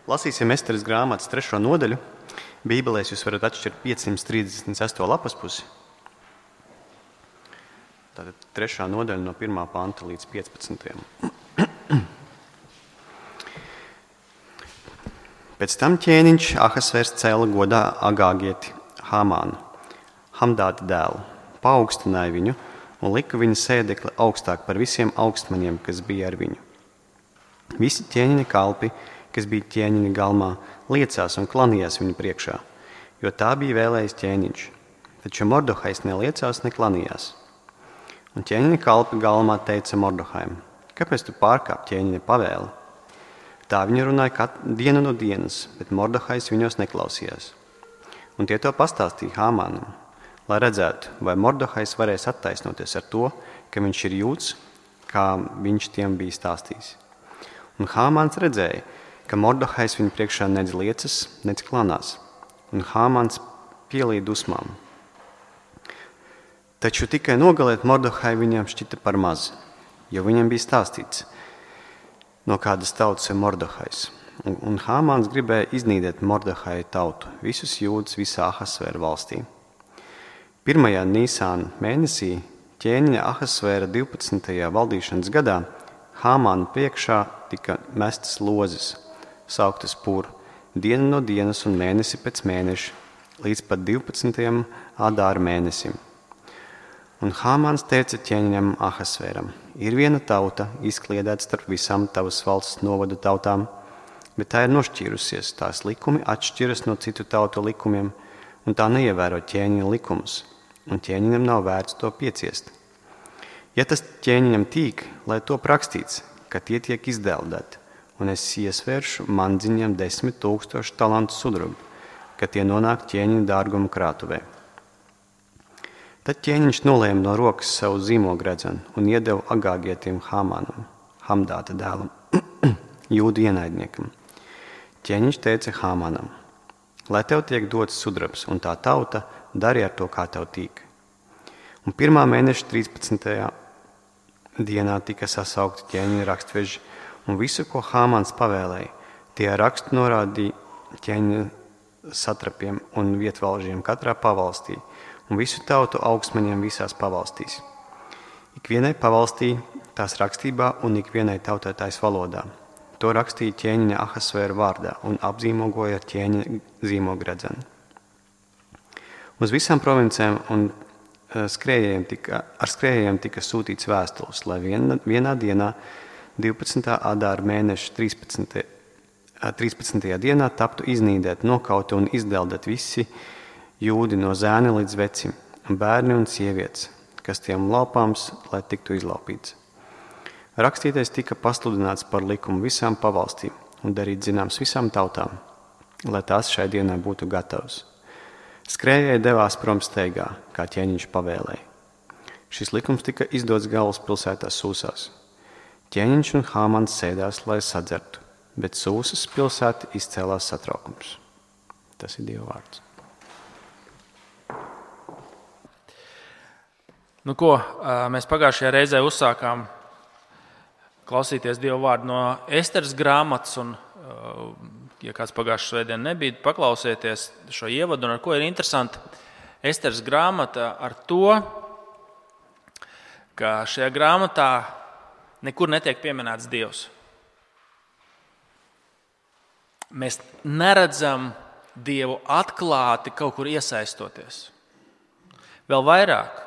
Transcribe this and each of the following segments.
Lasīsim Esteres grāmatas 3. nodaļu. Bībelēs jūs varat atšķirt 538. lapas pusi. Tātad 3. nodaļa no 1. panta līdz 15. Pēc tam ķēniņš Ahasvērs cēla godā Agāgieti Hāmānu, Hamdāta dēlu, paaugstināja viņu un lika viņa sēdekli augstāk par visiem augstmaņiem, kas bija ar viņu. Visi ķēniņa kalpi, kas bija ķēniņa galmā, liecās un klanījās viņu priekšā, jo tā bija vēlējis ķēniņš. Taču Mordohais neliecās, neklanījās. Un ķēniņa kalpi galmā teica Mordohaim: kāpēc tu pārkāp ķēniņa pavēli? Tā viņi runāja dienu no dienas, bet Mordohais viņos neklausījās. Un tie to pastāstīja Hāmānam, lai redzētu, vai Mordohais varēs attaisnoties ar to, ka viņš ir jūds, kā viņš tiem bija stāstījis. Un Hāmāns redzēja, ka Mordohais viņu priekšā nedz liecas, nedz klanās, un Hāmāns pielīja dusmām. Taču tikai nogalēt Mordohai viņam šķita par maz, jo viņam bija stāstīts, no kādas tautas ir Mordohais. Un Hāmāns gribēja iznīdēt Mordohai tautu, visus jūdus visā Ahasvēra valstī. 1. Nīsāna mēnesī ķēniņa Ahasvēra 12. valdīšanas gadā Hāmāna priekšā tika mestas lozes, sauktas pur, dienu no dienas un mēnesi pēc mēneša, līdz pat 12. Adāra mēnesim. Un Hāmāns teica ķēniņam Ahasvēram: ir viena tauta, izkliedēta starp visām tavas valsts novadu tautām, bet tā ir nošķīrusies, tās likumi atšķiras no citu tautu likumiem, un tā neievēro ķēniņa likumus, un ķēniņam nav vērts to pieciest. Ja tas ķēniņam tīk, lai to rakstīts, ka tie tiek izdeldēti, un es iesvēršu mandziņam 10 000 talantu sudrabu, ka tie nonāk ķēniņa dārguma krātuvē. Tad ķēniņš nolēma no rokas savu zīmogredzenu un iedeva Agāgietim Hāmānam, Hamdāta dēlam, jūdu ienaidniekam. Ķēniņš teica Hāmānam: lai tev tiek dots sudrabs, un tā tauta dari ar to, kā tev tīk. Un 1. mēneša 13. dienā tika sasaukti ķēniņa rakstveži, un visu, ko Hāmāns pavēlēja, tie rakstu norādīja ķēniņa satrapiem un vietvalžiem katrā pavalstī, un visu tautu augstmaņiem visās pavalstīs. Ikvienai pavalstī tās rakstībā un ikvienai tautai tais valodā. To rakstīja ķēniņa Ahasvēra vārdā un apzīmogoja ar ķēniņa zīmogredzenu. Uz visām provincēm un ar skrējējiem tika sūtīts vēstules, lai vienā dienā 12. Adāra mēneša 13. dienā taptu iznīdēt, nokauti un izdeldēt visi jūdi no zēna līdz vecim, bērni un sievietes, kas tiem laupāms, lai tiktu izlaupīts. Rakstītais tika pasludināts par likumu visām pavalstīm un darīt zināms visām tautām, lai tās šai dienai būtu gatavas. Skrējēji devās prom steigā, kā ķēniņš pavēlēja. Šis likums tika izdots galvaspilsētā Sūsās. Ķēniņš un Hāmāns sēdās, lai sadzertu, bet Sūsas pilsēta izcēlās satraukums. Tas ir Dieva vārds. Nu ko, mēs pagājušajā reizē uzsākām klausīties Dieva vārdu no Esteres grāmatas, un, ja kāds pagājušajā svētdien nebija, paklausieties šo ievadu, un ar ko ir interesanti Esteres grāmata ar to, ka šajā grāmatā nekur netiek pieminēts Dievs. Mēs neredzam Dievu atklāti kaut kur iesaistoties. Vēl vairāk.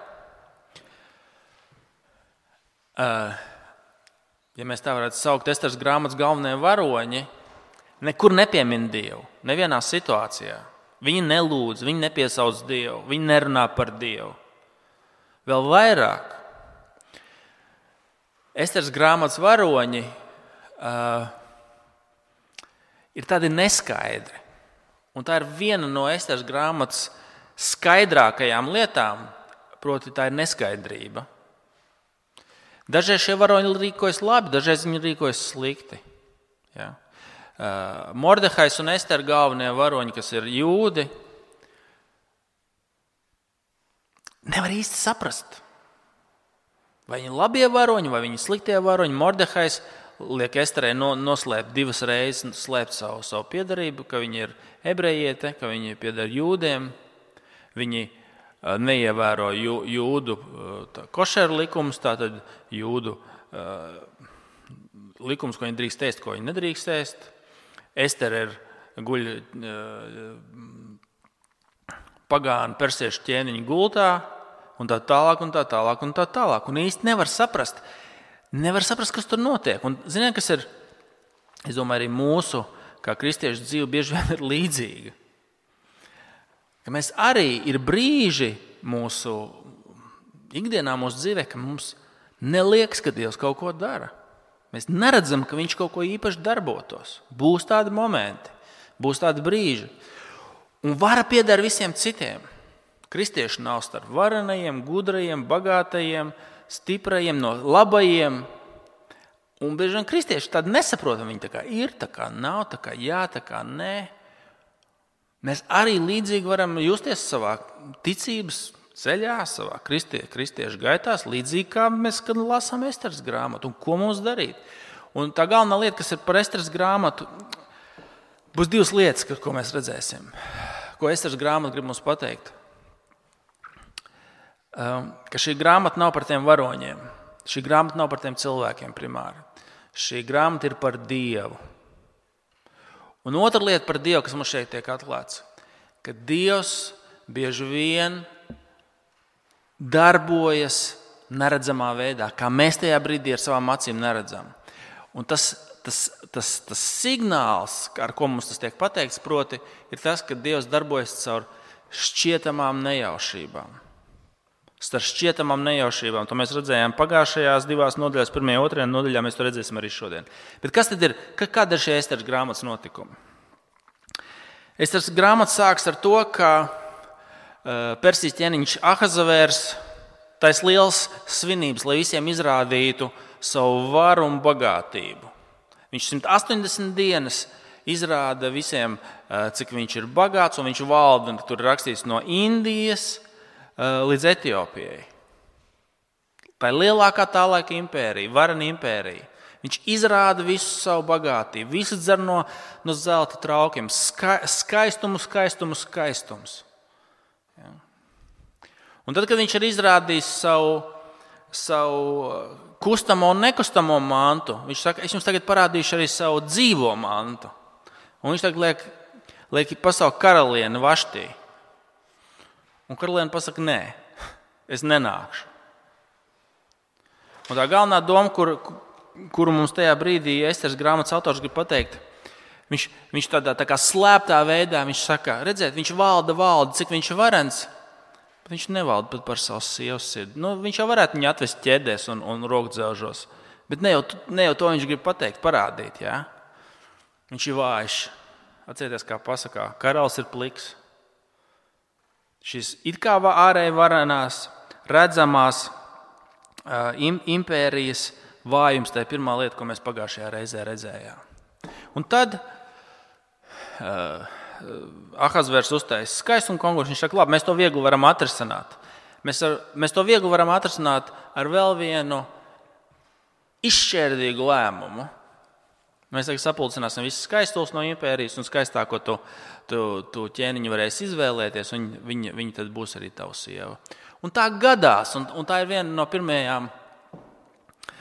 Ja mēs tā varētu saukt, Esteres grāmatas galvenie varoņi nekur nepiemin Dievu, nevienā situācijā. Viņi nelūdz, viņi nepiesauc Dievu, viņi nerunā par Dievu. Vēl vairāk. Esteres grāmatas varoņi ir tādi neskaidri. Un tā ir viena no Esteres grāmatas skaidrākajām lietām, proti tā ir neskaidrība. Dažreiz šie varoņi rīkojas labi, dažreiz viņi rīkojas slikti. Ja. Mordehais un Estere galvenie varoņi, kas ir jūdi, nevar īsti saprast, vai viņi labie varoņi, vai viņi sliktie varoņi. Mordehais liek Esterei noslēpt 2 reizes, slēpt savu piedarību, ka viņa ir ebrejiete, ka viņa pieder jūdiem. Viņi neievēro jūdu košeru likumus, tātad jūdu likums, ko viņi drīkst ēst, ko viņi nedrīkst ēst. Estere guļ pagānu persiešu ķēniņu gultā, un tā tālāk, un tā tālāk, un tā tālāk. Un īsti nevar saprast, kas tur notiek. Un ziniet, kas ir, es domāju, arī mūsu, kā kristiešu dzīve, bieži vien ir līdzīga. Ka mēs arī ir brīži mūsu ikdienā, mūsu dzīvē, ka mums neliekas, ka Dievs kaut ko dara. Mēs neredzam, ka Viņš kaut ko īpaši darbotos. Būs tādi momenti, būs tādi brīži. Un vara pieder visiem citiem. Kristieši nav starp varenajiem, gudrajiem, bagātajiem, stiprajiem, no labajiem. Un bieži vien kristieši tādi nesaprotam, viņi tā kā ir, tā kā nav, tā kā jā, tā kā nē. Mēs arī līdzīgi varam justies savā ticības ceļā, savā kristiešu gaitās, līdzīgi kā mēs, kad lasām Esteres grāmatu. Un ko mums darīt? Un tā galvenā lieta, kas ir par Esteres grāmatu, būs 2 lietas, ko mēs redzēsim. Ko Esteres grāmata grib mums pateikt? Ka šī grāmata nav par tiem varoņiem. Šī grāmata nav par tiem cilvēkiem primāri. Šī grāmata ir par Dievu. Un otra lieta par Dievu, kas mums šeit tiek atklāts, ka Dievs bieži vien darbojas neredzamā veidā, kā mēs tajā brīdī ar savām acīm neredzam. Un tas signāls, ar ko mums tas tiek pateikts, proti, ir tas, ka Dievs darbojas caur šķietamām nejaušībām. Starp šķietamām nejaušībām. To mēs redzējām pagājušajās 2 nodaļās, 1. un 2. nodaļā, mēs to redzēsim arī šodien. Bet kas tad ir? Kāda ir šie Esteres grāmatas notikumi? Esteres grāmata sāks ar to, ka Persijas ķēniņš Ahazavērs taisa liels svinības, lai visiem izrādītu savu varu un bagātību. Viņš 180 dienas izrāda visiem, cik viņš ir bagāts, un viņš valda, tur rakstīts, no Indijas līdz Etiopijai. Tā ir lielākā tā laika impērija, varena impērija. Viņš izrāda visu savu bagātību, visu dzer no zelta traukiem, skaistums. Ja. Un tad, kad viņš ir izrādījis savu kustamo un nekustamo mantu, viņš saka, es jums tagad parādīšu arī savu dzīvo mantu. Un viņš tagad liek pasaukt karalieni Vaštī. Un karaliene pasaka, nē, es nenākšu. Un tā galvenā doma, kuru mums tajā brīdī Esteres grāmatas autors grib pateikt, viņš tādā tā kā slēptā veidā, viņš saka, redziet, viņš valda, cik viņš ir varens, bet viņš nevalda pat par savu sievas sirdi. Viņš jau varētu viņu atvest ķēdēs un rokdzelžos, bet ne jau to viņš grib pateikt, parādīt. Ja? Viņš ir vājš. Atcerieties, kā pasakā, karalis ir pliks. Šis it kā ārēji varenās, redzamās impērijas vājums, tā ir pirmā lieta, ko mēs pagājušajā reizē redzējām. Un tad Ahazvērs uztaisa skaistumu konkursu. Viņš saka, labi, mēs to viegli varam atrisināt. Mēs to viegli varam atrisināt ar vēl vienu izšķērdīgu lēmumu. Mēs tagad sapulcināsim visus skaistumus no impērijas un skaistāko tu ķēniņu varēs izvēlēties, un viņa tad būs arī tava sieva. Un tā gadās, un tā ir viena no pirmajām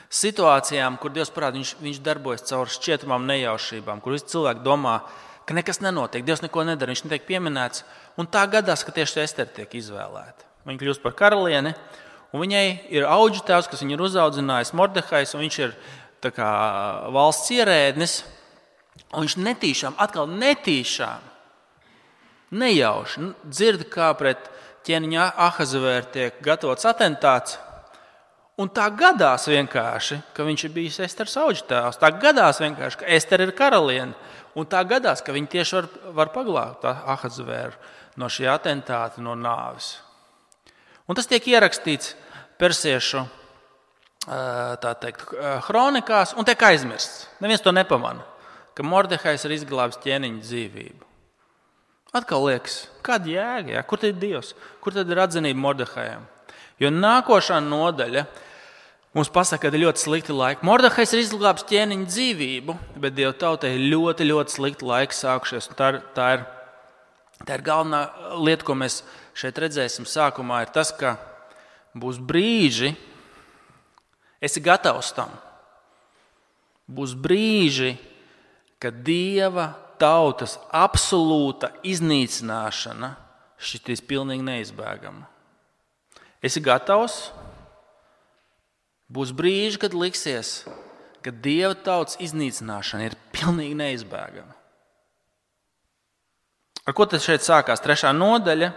situācijām, kur Dievs parāda, viņš darbojas caur šķietamām nejaušībām, kur visi cilvēki domā, ka nekas nenotiek, Dievs neko nedara, viņš netiek pieminēts. Un tā gadās, ka tieši Estere tiek izvēlēta. Viņa kļūst par karalieni, un viņai ir auģu tēvs, kas viņu ir uzaudzinājis, Mordehais, un viņš ir tā kā valsts ierēdnis, un viņš netīšām, nejauši dzird, kā pret ķēniņa Ahazavēru tiek gatavots atentāts, un tā gadās vienkārši, ka viņš ir bijis Esteres auģu tēvs, tā gadās vienkārši, ka Estere ir karaliene, un tā gadās, ka viņi tieši var paglābt Ahazavēru no šī atentāta, no nāves. Un tas tiek ierakstīts persiešu kronikās un tiek aizmirsts. Neviens to nepamana, ka Mordehais ir izglābis ķēniņa dzīvību. Atkal liekas, kāda jēga, ja? Kur tad ir Dievs? Kur tad ir atzinība Mordehajam? Jo nākošā nodaļa mums pasaka, ka ir ļoti slikti laiki. Mordehais ir izglābis ķēniņa dzīvību, bet Dieva tautai ir ļoti, ļoti slikti laiki sākušies. Tā ir galvenā lieta, ko mēs šeit redzēsim sākumā, ir tas, ka būs brīži, esi gatavs tam. Būs brīži, kad Dieva tautas absolūta iznīcināšana šķitīs pilnīgi neizbēgama. Esi gatavs? Būs brīži, kad liksies, ka Dieva tautas iznīcināšana ir pilnīgi neizbēgama. Ar ko tad šeit sākās 3. nodaļa,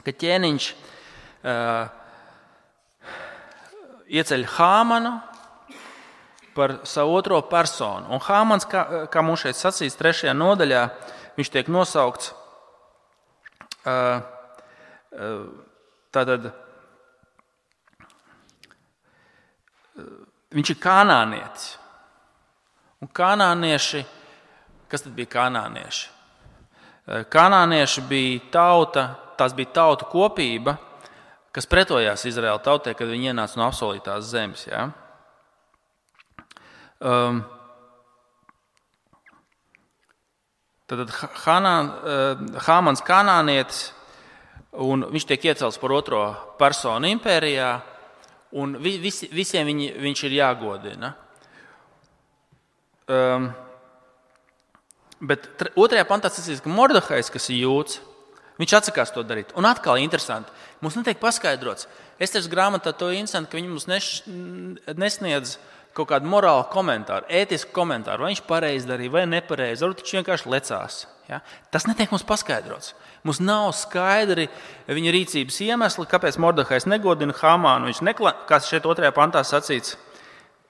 ka ķēniņš ieceļ Hāmanu par savu otro personu. Un Hāmans, kā mums šeit sacīts 3. nodaļā, viņš tiek nosaukts tātad viņš ir kanānietis. Un kanānieši, kas tad bija kanānieši? Kanānieši bija tauta, tās bija tautu kopība, kas pretojās Izraēla tautai, kad viņi ienāca no apsolītās zemes. Ja? Tad Hāmans kanānietis, un viņš tiek iecelts par otro personu impērijā, un visiem viņš ir jāgodina. Bet 2. pantā sacīts, ka Mordehais, kas ir jūds, viņš atsakās to darīt. Un atkal interesanti, mums netiek paskaidrots. Esteras grāmatā to interesanti, ka viņi mums nesniedz kaut kādu morālu komentāru, ētisku komentāru, vai viņš pareizi darīja vai nepareizi, varbūt viņš vienkārši lecās. Ja? Tas netiek mums paskaidrots. Mums nav skaidri viņa rīcības iemesli, kāpēc Mordehais negodina Hāmānu. Kas šeit 2. pantā sacīts,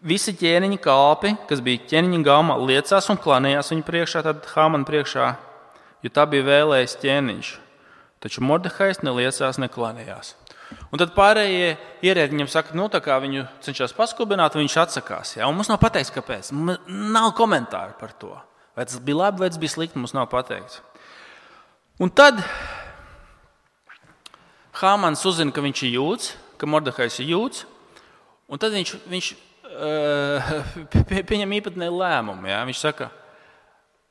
visi ķēniņa kalpi, kas bija ķēniņa galmā, liecās un klanījās viņa priekšā, tad Hāmana priekšā, jo tā bija vēlējis ķēniņš. Taču Mordehais neliecās, neklanījās. Un tad pārējie ierēdņi viņam saka, tā kā viņu cenšas paskubināt, viņš atsakās. Ja? Un mums nav pateikts, kāpēc. Nav komentāru par to. Vai tas bija labi, vai tas bija slikti, mums nav pateikts. Un tad Hāmans uzzina, ka viņš ir jūds, ka Mordehais ir jūds, un tad viņš pieņem īpatnēju lēmumu. Ja? Viņš saka,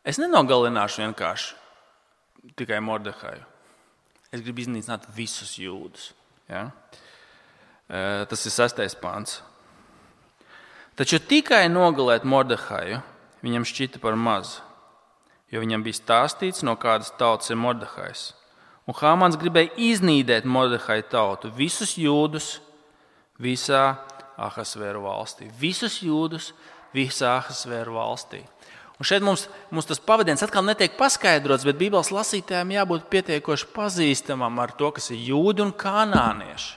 es nenogalināšu vienkārši tikai Mordehaju. Es gribu iznīcināt visus jūdus. Ja? Tas ir 6. pants. Taču tikai nogalēt Mordehaju viņam šķita par mazu, jo viņam bija stāstīts, no kādas tautas ir Mordehais. Un Hāmans gribēja iznīdēt Mordehaju tautu, visus jūdus visā Ahasvēru valstī. Visus jūdus visā Ahasvēru valstī. Un šeit mums tas pavadiens atkal netiek paskaidrots, bet Bībeles lasītājiem jābūt pietiekoši pazīstamam ar to, kas ir jūdi un kanānieši.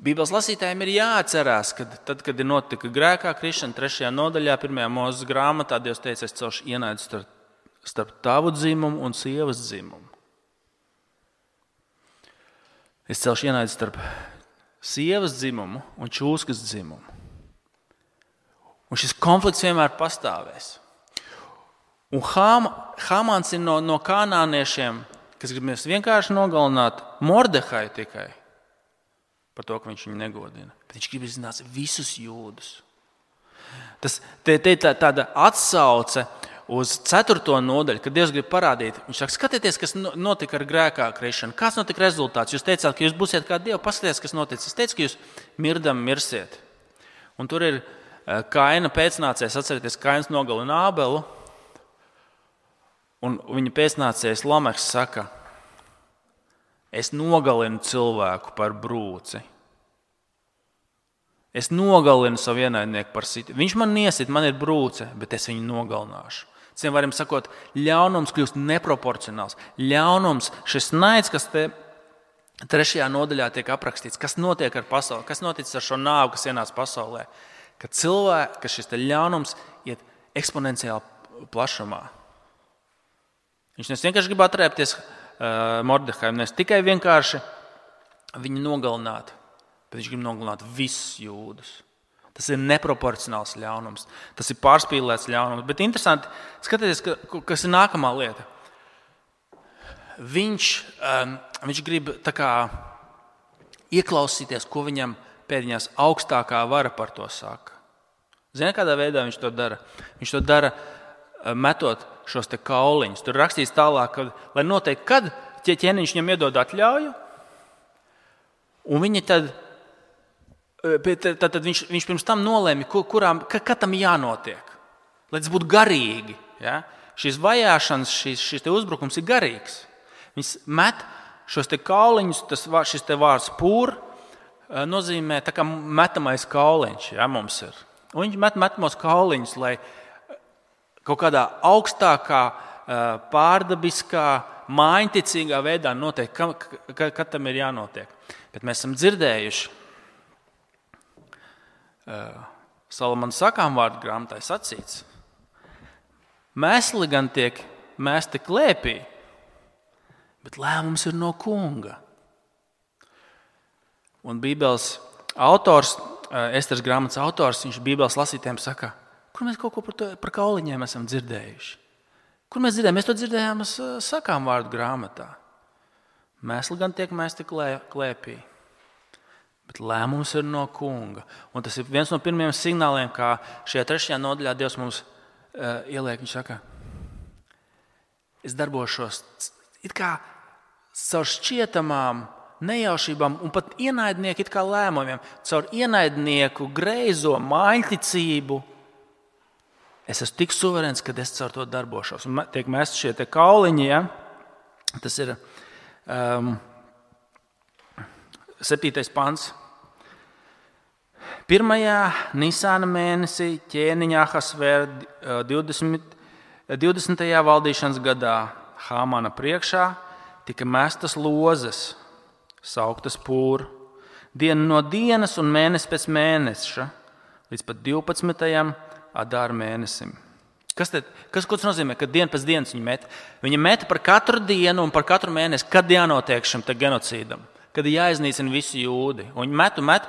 Bībeles lasītājiem ir jāatcerās, ka tad, kad ir notika grēkā krišana 3. nodaļā, 1. Mūzes grāmatā, Dievs teica, es celšu ienaidu starp tavu dzimumu un sievas dzimumu. Es celšu ienaidu starp sievas dzimumu un čūskas dzimumu. Un šis konflikts vienmēr pastāvēs. Un Hāmans ir no kanāniešiem, kas grib vienkārši nogalināt Mordehaju tikai par to, ka viņš viņu negodina. Bet viņš grib izzināt visus jūdus. Te ir tāda atsauce uz 4. nodaļu, kad Dievs grib parādīt. Viņš saka, skatieties, kas notika ar grēkā krišanu. Kāds notika rezultāts? Jūs teicāt, ka jūs būsiet kā Dievi. Paskatieties, kas noticis. Es teicu, ka jūs mirdam mirsiet. Un tur ir Kaina pēcnācējs, atcerieties, Kains nogalina Ābelu, un viņa pēcnācējs Lameks saka, es nogalinu cilvēku par brūci. Es nogalinu savu ienaidnieku par situ. Viņš man iesit, man ir brūce, bet es viņu nogalināšu. Citiem varam sakot, ļaunums kļūst neproporcionāls. Ļaunums, šis naids, kas te 3. nodaļā tiek aprakstīts, kas notiek ar pasauli, kas noticis ar šo nāvu, kas ienāca pasaulē. Ka šis ļaunums iet eksponenciāli plašumā. Viņš vienkārši grib atrēpties Mordehajam, ne tikai vienkārši viņu nogalināt, bet viņš grib nogalināt visus jūdus. Tas ir neproporcionāls ļaunums, tas ir pārspīlēts ļaunums. Bet interesanti, skatieties, kas ir nākamā lieta. Viņš grib tā kā ieklausīties, ko viņam pēdiņās augstākā vara par to saka. Zini, kādā veidā viņš to dara? Viņš to dara metot šos te kauliņus. Tur rakstīts tālāk, lai noteikti, kad ķēniņš viņam iedod atļauju, un viņi tad viņš pirms tam nolēma, kad tam jānotiek. Lai tas būtu garīgi. Ja? Šīs vajāšanas, šis te uzbrukums ir garīgs. Viņš met šos te kauliņus, šis te vārds pūr nozīmē tā kā metamais kauliņš, ja, mums ir. Un viņš met metamos kauliņus, lai kaut kādā augstākā, pārdabiskā, mājiņticīgā veidā notiek, kad tam ir jānotiek. Bet mēs esam dzirdējuši Salamana sakām vārdu grāmatā sacīts. Mēsli gan tiek mēsti klēpī, bet lēmums ir no kunga. Un Bībeles autors, Esteras grāmatas autors, viņš Bībeles lasītājiem saka, kur mēs kaut ko par kauliņiem esam dzirdējuši. Kur mēs dzirdējām? Mēs to dzirdējām sakām vārdu grāmatā. Mēsli gan tiek mēsti klēpī, bet lēmums ir no kunga. Un tas ir viens no pirmajiem signāliem, kā šajā 3. nodaļā Dievs mums ieliek. Viņš saka, es darbošos it kā caur šķietamām nejaušībām un pat ienaidnieku it kā lēmumiem, caur ienaidnieku greizo mājiņticību. Es esmu tik suverēns, kad es caur to darbošos. Un tiek mesti šie te kauliņi, ja? Tas ir 7. pants. 1. Nisāna mēnesī ķēniņa Ahasvēra 20. valdīšanas gadā Hāmana priekšā tika mestas lozes, sauktas pūr, diena no dienas un mēnesis pēc mēneša, līdz pat 12. Adāra mēnesim. Kas tas nozīmē, ka diena pēc dienas viņi met? Viņi met par katru dienu un par katru mēnesi, kad jānotiek šim te genocīdam, kad ir jāiznīcina visi jūdi. Un viņi met,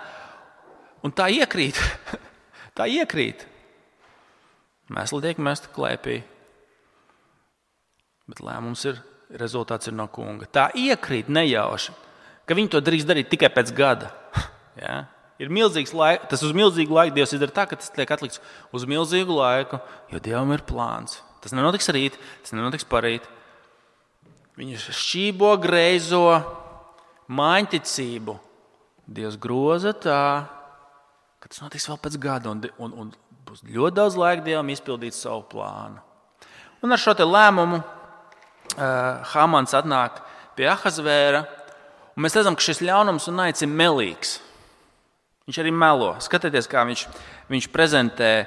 un tā iekrīt. Tā iekrīt. Mēsli tiek mesti klēpī, bet lēmums rezultāts ir no kunga. Tā iekrīt nejauši, ka viņi to drīkst darīt tikai pēc gada. Ja? Ir milzīgs laiks, tas uz milzīgu laiku Dievs izdara tā, ka tas tiek atlikts uz milzīgu laiku, jo Dievam ir plāns. Tas nenotiks rīt, tas nenotiks parīt. Viņi šķībo greizo mājiņticību. Dievs groza tā, ka tas notiks vēl pēc gada un būs ļoti daudz laika Dievam izpildīt savu plānu. Un ar šo te lēmumu Hāmans atnāk pie Ahasvēra, un mēs redzam, ka šis ļaunums un naids ir melīgs. Viņš arī melo. Skatieties, kā viņš prezentē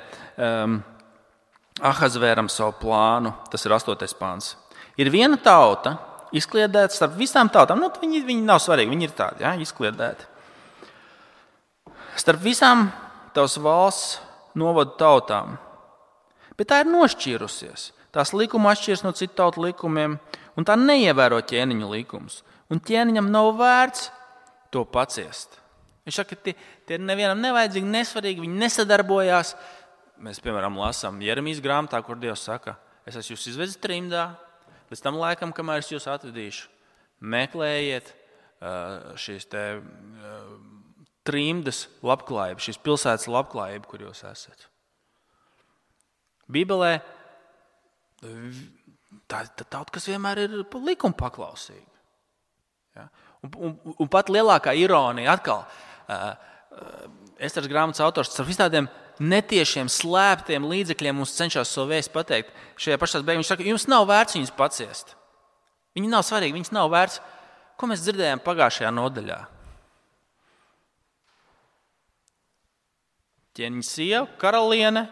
Ahasvēram savu plānu. Tas ir 8. pāns. Ir viena tauta, izkliedēta starp visām tautām. Viņi nav svarīgi, viņi ir tādi, ja, izkliedēti. Starp visām tavas valsts novadu tautām. Bet tā ir nošķīrusies. Tās likuma atšķiras no citu tautu likumiem, un tā neievēro ķēniņu likumus. Un ķēniņam nav vērts to paciest. Viņš saka, ka tie nevienam nevajadzīgi, nesvarīgi, viņi nesadarbojās. Mēs, piemēram, lasām Jeremijas grāmatā, kur Dievs saka, es esmu jūs izvedis trimdā, līdz tam laikam, kamēr es jūs atvedīšu. Meklējiet šīs te trimdas labklājību, šīs pilsētas labklājību, kur jūs esat. Bībelē tā tauta, kas vienmēr ir likuma paklausīga. Ja? Un pat lielākā ironija atkal, Esteras grāmatas autors ar visādiem netiešiem, slēptiem līdzekļiem mums cenšas savu vēstu pateikt. Šajā pašās beigās viņš saka, jums nav vērts viņus paciest. Viņi nav svarīgi, viņus nav vērts. Ko mēs dzirdējām pagājušajā nodaļā? Ķēniņa sieva, karaliene,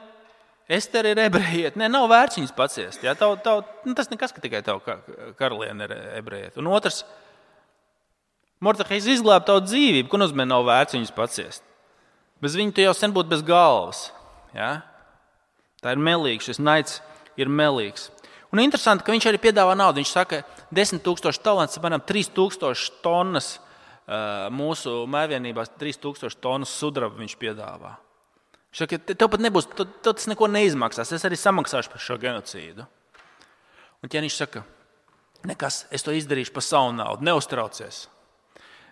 Estera ir ebrejiete. Nē, nav vērts viņus paciest. Ja? Tas nekas, ka tikai tava karaliene ir ebrejiete. Un otrs, Mordehejs izglāba tavu dzīvību, ko nozīmē nav vērts viņus paciest. Bez viņa tu jau sen būtu bez galvas. Ja? Tā ir melīga, šis naids ir melīgs. Un interesanti, ka viņš arī piedāvā naudu. Viņš saka, 10,000 talantus, apmēram 3,000 tonnas mūsu mājvienībās, 3,000 tonnas sudraba viņš piedāvā. Viņš saka, tev pat nebūs, tas neko neizmaksās, es arī samaksāšu par šo genocīdu. Un ķēniņš saka, nekas, es to izdarīšu par savu naudu, neuztraucies.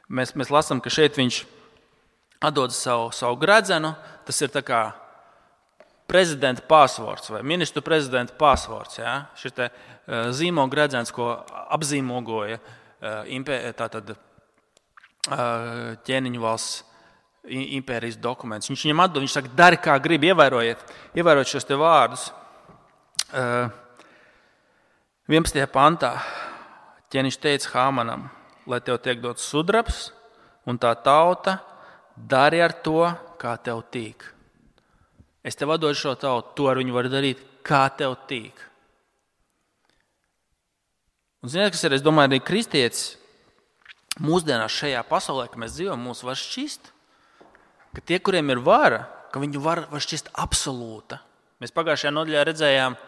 Mēs lasām, ka šeit viņš atdod savu gredzenu, tas ir tā kā prezidenta passwords vai ministru prezidenta passwords. Ja? Šis te zīmogu gredzens, ko apzīmogoja tātad ķēniņu valsts impērijas dokuments. Viņš viņam atdod, viņš saka, dari kā grib, ievērojiet šos te vārdus. 11. pantā ķēniņš teica Hāmanam, lai tev tiek dots sudrabs un tā tauta, dari ar to, kā tev tīk. Es tev atdodu šo tautu, to ar viņu var darīt, kā tev tīk. Un ziniet, kas ir, es domāju, arī kristietis mūsdienās šajā pasaulē, ka mēs dzīvojam, mūs var šķist, ka tie, kuriem ir vara, ka viņu var šķist absolūta. Mēs pagājušajā nodaļā redzējām,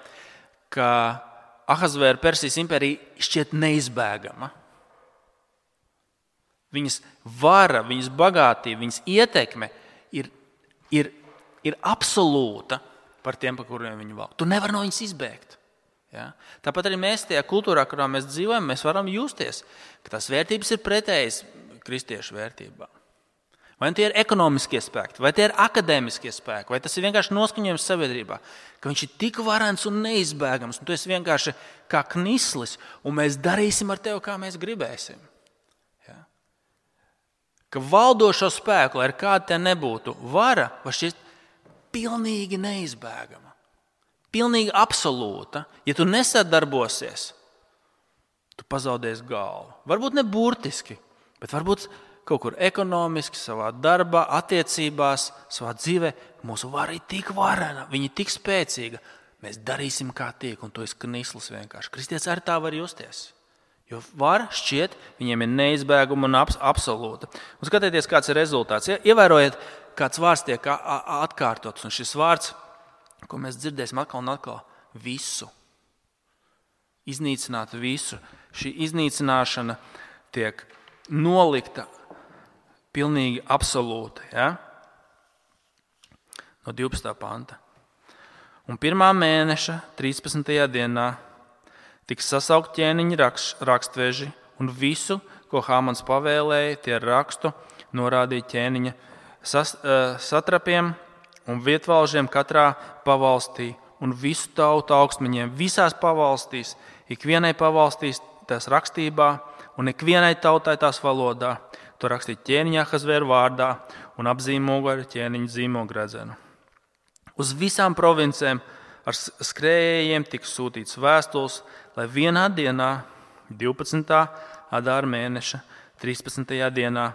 ka Ahasvēra Persijas impērija šķiet neizbēgama. Viņas vara, viņas bagātība, viņas ietekme ir absolūta par tiem, par kuriem viņi valda. Tu nevar no viņas izbēgt. Ja? Tāpat arī mēs tajā kultūrā, kurā mēs dzīvojam, mēs varam justies, ka tās vērtības ir pretējas kristiešu vērtībām. Vai tie ir ekonomiskie spēki, vai tie ir akadēmiskie spēki, vai tas ir vienkārši noskaņojums sabiedrībā, ka viņš ir tik varens un neizbēgams, un tu esi vienkārši kā knislis, un mēs darīsim ar tevi, kā mēs gribēsim. Ja? Ka valdošo spēku, lai ar kādu te nebūtu, vara var šķist pilnīgi neizbēgama, pilnīgi absolūta. Ja tu nesadarbosies, tu pazaudēsi galvu. Varbūt ne burtiski, bet varbūt kaut kur ekonomiski, savā darbā, attiecībās, savā dzīvē. Mūsu vara ir tik varena, viņa ir tik spēcīga. Mēs darīsim, kā tiek, un tu esi knislis vienkārši. Kristietis arī tā var justies. Jo vara šķiet, viņiem ir neizbēguma un absolūta. Un skatieties, kāds ir rezultāts. Ievērojiet, kāds vārds tiek atkārtots. Un šis vārds, ko mēs dzirdēsim atkal un atkal, visu. Iznīcināt visu. Šī iznīcināšana tiek nolikta pilnīgi absolūti. Ja? No 12. panta. Un 1. mēneša 13. dienā tiks sasaukt ķēniņa rakstveži un visu, ko Hāmans pavēlēja, tie rakstu norādīja ķēniņa satrapiem un vietvalžiem katrā pavalstī un visu tautu augstmeņiem visās pavalstīs, ikvienai pavalstīs tās rakstībā un ikvienai tautai tās valodā. To rakstīt ķēniņa Ahasvēra vārdā un apzīmogu ar ķēniņa zīmogredzenu. Uz visām provincēm ar skrējējiem tiks sūtīts vēstules, lai vienā dienā, 12. Adāra mēneša, 13. dienā,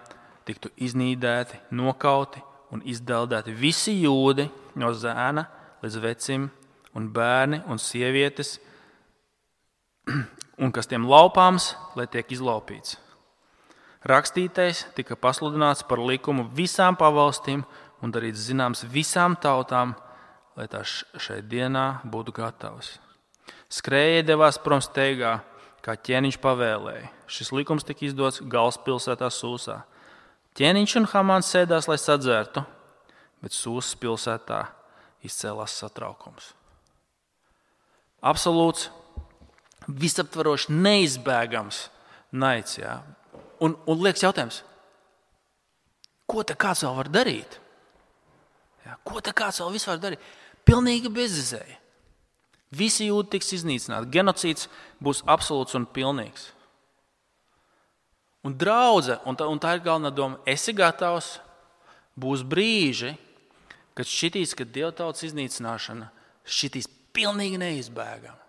tiktu iznīdēti, nokauti un izdeldēti visi jūdi no zēna līdz vecim un bērni un sievietes, un kas tiem laupāms, lai tiek izlaupīts. Rakstītais tika pasludināts par likumu visām pavalstīm un darīts zināms visām tautām, lai tās šai dienā būtu gatavas. Skrējēji devās prom steigā, kā ķēniņš pavēlēja. Šis likums tika izdots galvaspilsētā Sūsā. Ķēniņš un Hamāns sēdās, lai sadzertu, bet Sūsas pilsētā izcēlās satraukums. Absolūts, visaptvarošs, neizbēgams naids. Jā. Un liekas jautājums, ko te kāds vēl var darīt? Jā, ko te kāds vēl vispār darīt? Pilnīgi bezizēja. Visi jūdi tiks iznīcināti. Genocīds būs absolūts un pilnīgs. Un draudze, un tā ir galvenā doma, esi gatavs, būs brīži, kad šķitīs, ka dievtautas iznīcināšana šķitīs pilnīgi neizbēgama.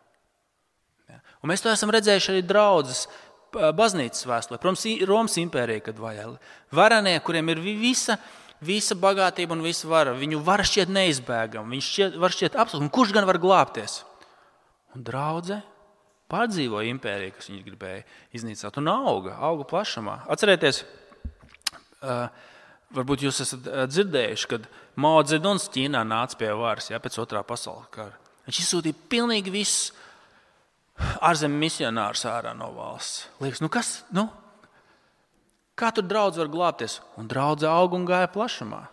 Ja? Un mēs to esam redzējuši arī draudzes baznīcas vēstulē. Protams, Romas impērija, kad vajag. Varenie, kuriem ir visa bagātība un visa vara, viņu vara šķiet neizbēgama, viņš var šķiet absolūti. Un kurš gan var glābties? Un draudze pārdzīvoja impēriju, kas viņi gribēja iznīcināt, un auga plašumā. Atcerieties, varbūt jūs esat dzirdējuši, kad Mao Dzeduns Ķīnā nāca pie varas, pēc Otrā pasaules kara. Viņš izsūtīja pilnīgi visus ārzemju misionārus ārā no valsts. Liekas, kā tur draudze var glābties? Un draudze auga un gāja plašumā.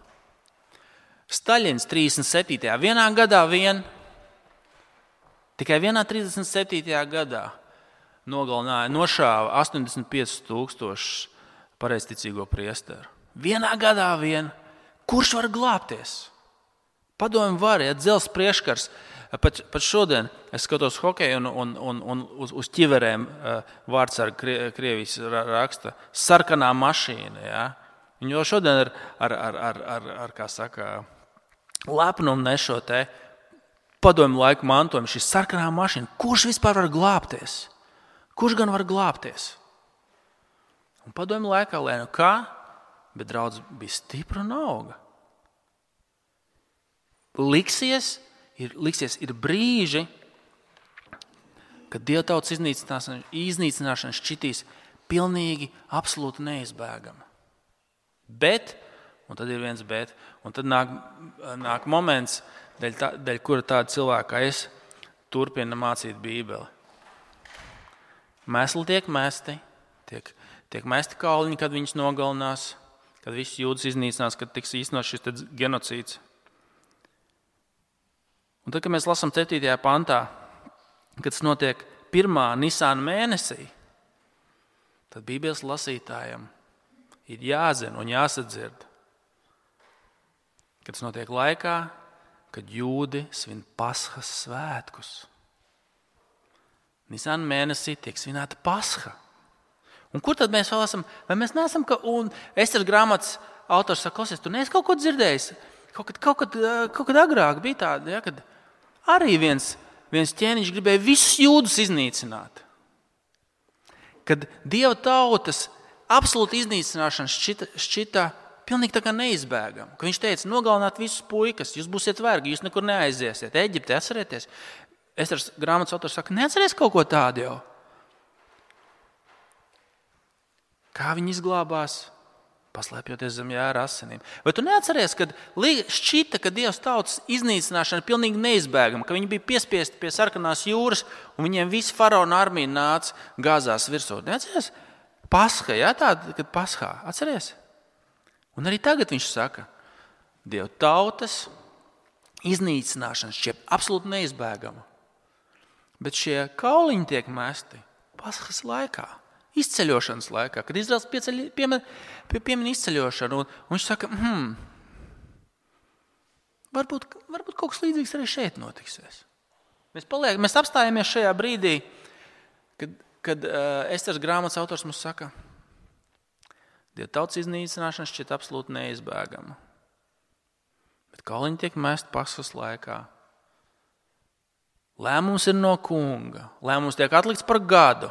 Staļins 37. vienā gadā tikai vienā 37. gadā nošāva 85,000 pareizticīgo priesteru. Vienā gadā Kurš var glābties? Padomju var, ja dzels priekškars. Pat šodien es skatos hokeju un uz ķiverēm vārds ar Krievijas raksta sarkanā mašīna. Ja? Viņi jau šodien ar kā saka, lepnumu nešo te padomju laiku mantojumu. Šī sarkanā mašīna. Kurš vispār var glābties? Kurš gan var glābties? Un padomju laikā, lai nu kā, bet draudz bija stipra un auga. Liksies, ir brīži, kad Dieva tautas iznīcināšana šķitīs pilnīgi, absolūti neizbēgama. Bet, un tad ir viens bet, un tad nāk moments, dēļ kura tāda cilvēka kā es turpina mācīt Bībeli. Mēsli tiek mesti, tiek mesti kauliņi, kad viņus nogalinās, kad visus jūdas iznīcinās, kad tiks īstenots šis genocīds. Un tad, kad mēs lasām 7. pantā, kad tas notiek 1. Nisāna mēnesī, tad Bībeles lasītājiem ir jāzina un jāsadzird, kad tas notiek laikā, kad jūdi svin Pasхas svētkus. Nisāna mēnesī tiek svinēta Pasха. Un kur tad mēs vēl esam? Vai mēs neesam, un Esteras grāmatas autors saka, klausies, tu neesi kaut ko dzirdējis? Kaut kad agrāk bija tāda, ja, kad arī viens ķēniņš gribēja visus jūdus iznīcināt. Kad Dieva tautas absolūta iznīcināšana šķita pilnīgi tā kā neizbēgama. Ka viņš teica, nogalināt visus puikas, jūs būsiet vergi, jūs nekur neaiziesiet. Eģipte, atcerieties? Esteras grāmatas autors saka, neatceries kaut ko tādu jau? Kā viņi izglābās? Paslēpjoties zem jēra asinīm. Vai tu neatceries, kad šķita, ka Dievs tautas iznīcināšana ir pilnīgi neizbēgama, ka viņi bija piespiesti pie sarkanās jūras un viņiem visi faraona armija nāca gāzās virsū? Neatceries? Pascha, jā, tāda, kad Paschā. Atceries? Un arī tagad viņš saka, Dieva tautas iznīcināšana šķiet absolūti neizbēgama. Bet šie kauliņi tiek mesti Paschas laikā. Izceļošanas laikā, kad Izraels piemin izceļošanu, un viņš saka, varbūt kaut kas līdzīgs arī šeit notiksies. Mēs apstājamies šajā brīdī, kad Esteras grāmatas autors mums saka, Dieva tautas iznīcināšana šķiet absolūti neizbēgama. Bet kauliņi tiek mesti Paschas laikā. Lēmums ir no kunga. Lēmums tiek atlikts par gadu.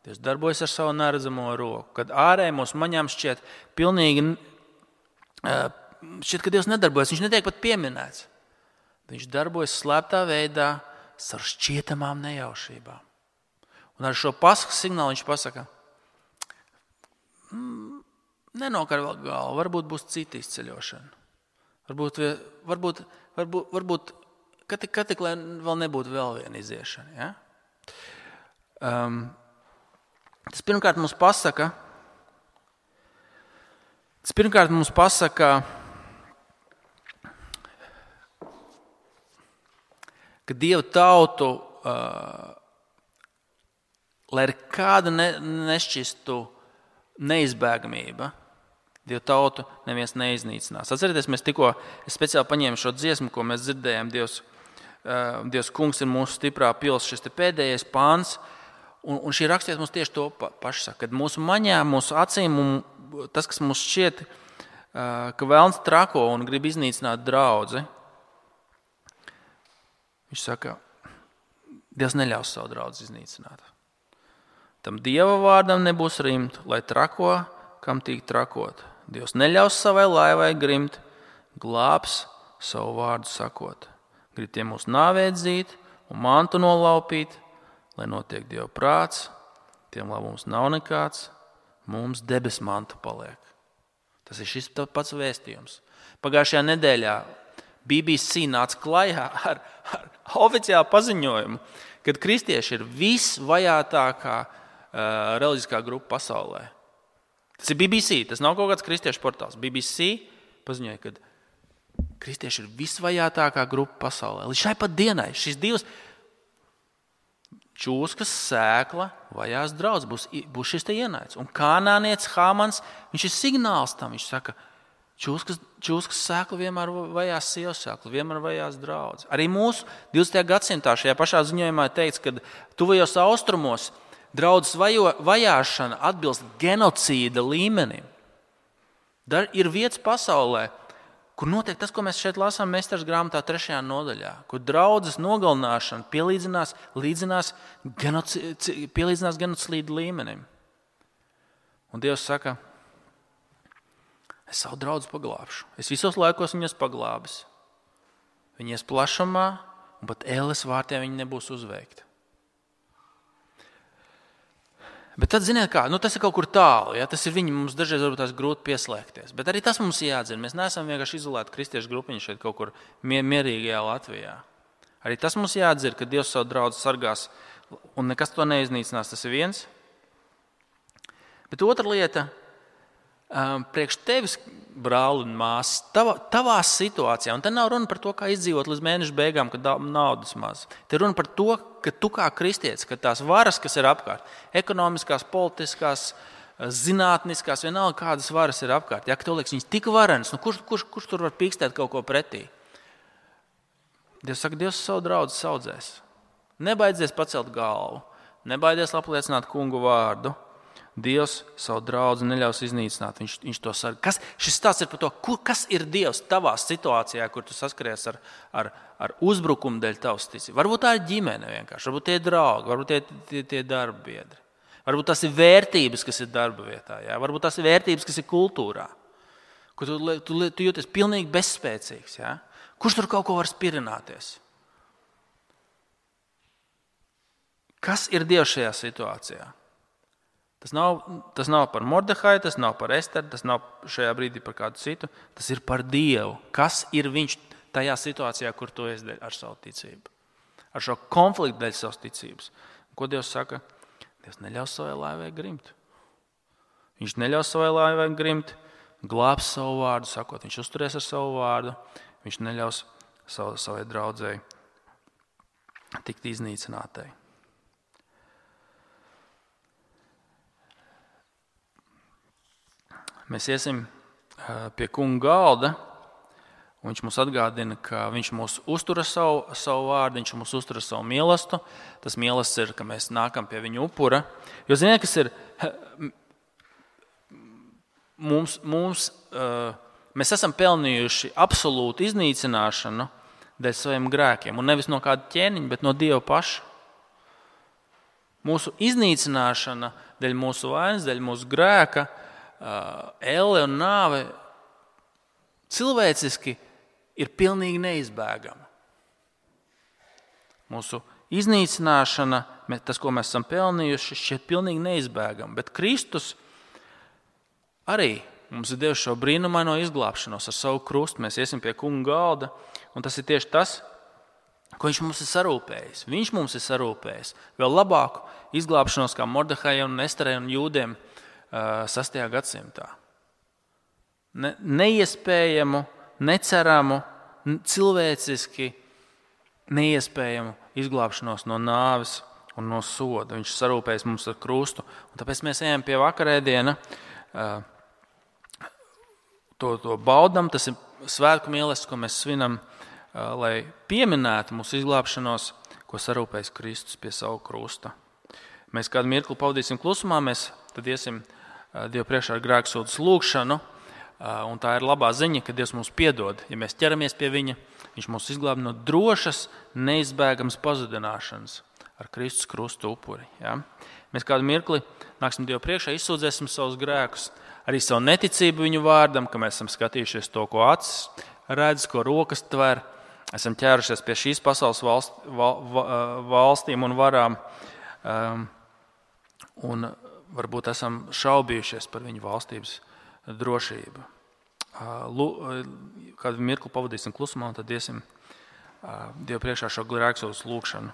Dievs darbojas ar savu neredzamo roku. Kad ārēji mūsu maņām šķiet pilnīgi, ka Dievs nedarbojas, viņš netiek pat pieminēts. Viņš darbojas slēptā veidā ar šķietamām nejaušībām. Un ar šo Paskas signālu viņš pasaka, nenokar vēl galvu, varbūt būs cita izceļošana. Varbūt ka tik lai vēl nebūtu vēl viena iziešana. Ja? Tas pirmkārt mums pasaka, ka Dieva tautu, lai ir kāda nešķistu neizbēgamība, Dieva tautu neviens neiznīcinās. Atcerieties, es speciāli paņēmu šo dziesmu, ko mēs dzirdējām, Dievs kungs ir mūsu stiprā pils, šis te pēdējais pāns. Un šī rakstiet mums tieši to pašu saka, kad mūsu maņām, mūsu acīm, tas, kas mums šķiet, ka velns trako un grib iznīcināt draudzi, viņš saka, Dievs neļaus savu draudzi iznīcināt. Tam Dieva vārdam nebūs rimt, lai trako, kam tīk trakot. Dievs neļaus savai laivai grimt, glābs savu vārdu sakot. Grib tiem mūs nāvēdzīt un mantu nolaupīt, lai notiek Dieva prāts, tiem labums nav nekāds, mums debes mantu paliek. Tas ir šis pats vēstījums. Pagājušajā nedēļā BBC nāca klajā ar oficiālu paziņojumu, kad kristieši ir visvajātākā reliģiskā grupa pasaulē. Tas ir BBC, tas nav kaut kāds kristiešu portāls. BBC paziņoja, ka kristieši ir visvajātākā grupa pasaulē. Līdz šai pat dienai šīs divas čūskas sēkla vajās draudz, būs šis te ienaidis. Un kanānietis Hāmans, viņš ir signāls tam, viņš saka, Čūskas sēkla vienmēr vajās sievas sēkla, vienmēr vajās draudzes. Arī mūsu 20. gadsimtā šajā pašā ziņojumā teikts, ka tuvajos austrumos draudzes vajāšana atbilst genocīda līmenim. Ir vietas pasaulē, kur notiek tas, ko mēs šeit lasām Mesteres grāmatā 3. nodaļā, kur draudzes nogalināšana pielīdzinās genocīda līmenim. Un Dievs saka, es savu draudzi paglābšu. Es visos laikos viņus paglābis. Viņi ies plašumā, un pat ēles vārtiem viņi nebūs uzveikti. Bet tad, ziniet kā, tas ir kaut kur tālu. Ja? Tas ir viņi, mums dažreiz varbūt tās grūti pieslēgties. Bet arī tas mums jāatzina. Mēs neesam vienkārši izolēti kristiešu grupiņi šeit kaut kur mierīgajā Latvijā. Arī tas mums jāatzina, ka Dievs savu draudzi sargās un nekas to neiznīcinās. Tas ir viens. Bet otra lieta, priekš tevis, brāli un māsas, tavā situācijā, un te nav runa par to, kā izdzīvot līdz mēneša beigām, kad naudas maz. Te runa par to, ka tu kā kristietis, ka tās varas, kas ir apkārt, ekonomiskās, politiskās, zinātniskās, vienalga kādas varas ir apkārt, ja, ka tev liekas viņas tik varenas, kurš tur var pīkstēt kaut ko pretī? Dievs saka, Dievs savu draudzi saudzēs. Nebaidzies pacelt galvu, nebaidies apliecināt kungu vārdu. Dievs savu draudzi neļaus iznīcināt, viņš to sarg. Šis stāsts ir par to, kas ir Dievs tavā situācijā, kur tu saskaries ar uzbrukumu dēļ tavas ticības. Varbūt tā ir ģimene vienkārši, varbūt tie ir draugi, varbūt tie darba biedri. Varbūt tas ir vērtības, kas ir darba vietā, jā? Varbūt tas ir vērtības, kas ir kultūrā, kur tu jūties pilnīgi bezspēcīgs. Jā? Kurš tur kaut ko var spirināties? Kas ir Dievs šajā situācijā? Tas nav par Mordehaju, tas nav par Esteru, tas nav šajā brīdī par kādu citu. Tas ir par Dievu. Kas ir viņš tajā situācijā, kur tu esi ar savu ticību? Ar šo konfliktu dēļ savas ticības. Ko Dievs saka? Dievs neļaus savai laivai grimt. Viņš neļaus savai laivai grimt, glābs savu vārdu, sakot, viņš uzturēs ar savu vārdu, viņš neļaus savai draudzēji tikt iznīcinātai. Mēs iesim pie kunga galda, un viņš mums atgādina, ka viņš mūs uztur savu vārdu, viņš mūs uztur savu mīlestību. Tas mīlestības ir, ka mēs nākam pie viņa upura. Jo ziniet, kas ir? Mēs esam pelnījuši absolūtu iznīcināšanu dēļ saviem grēkiem, un nevis no kāda ķēniņa, bet no Dieva paša. Mūsu iznīcināšana dēļ mūsu vainas, dēļ mūsu grēka, elle un nāve cilvēciski ir pilnīgi neizbēgama. Mūsu iznīcināšana, tas, ko mēs esam pelnījuši, šķiet pilnīgi neizbēgama. Bet Kristus arī mums ir devis šo brīnumaino izglābšanos ar savu krustu. Mēs iesim pie kunga galda, un tas ir tieši tas, ko viņš mums ir sarūpējis. Viņš mums ir sarūpējis vēl labāku izglābšanos kā Mordehajam un Esterei un jūdiem 6. gadsimtā. Neiespējamu, neceramu, cilvēciski neiespējamu izglābšanos no nāves un no soda. Viņš sarūpējas mums ar krustu. Un tāpēc mēs ejam pie vakarēdiena, to baudam, tas ir svētku mīlestība, ko mēs svinam, lai pieminētu mūsu izglābšanos, ko sarūpējas Kristus pie savu krusta. Mēs kādu mirkli pavadīsim klusumā, mēs tad iesim Dievu priekšā ar grēksūdzes lūgšanu, un tā ir labā ziņa, ka Dievs mums piedod. Ja mēs ķeramies pie viņa, viņš mūs izglāb no drošas, neizbēgamas pazudināšanas ar Kristus krustu upuri. Ja? Mēs kādu mirkli nāksim Dievu priekšā, izsūdzēsim savus grēkus, arī savu neticību viņu vārdam, ka mēs esam skatījušies to, ko acis redz, ko rokas tver, esam ķērušies pie šīs pasaules valstīm un varām, un varbūt esam šaubījušies par viņu valstības drošību. Kādu mirkli pavadīsim klusumā, un tad iesim Dievu priekšā šo grēksūdzes lūgšanu.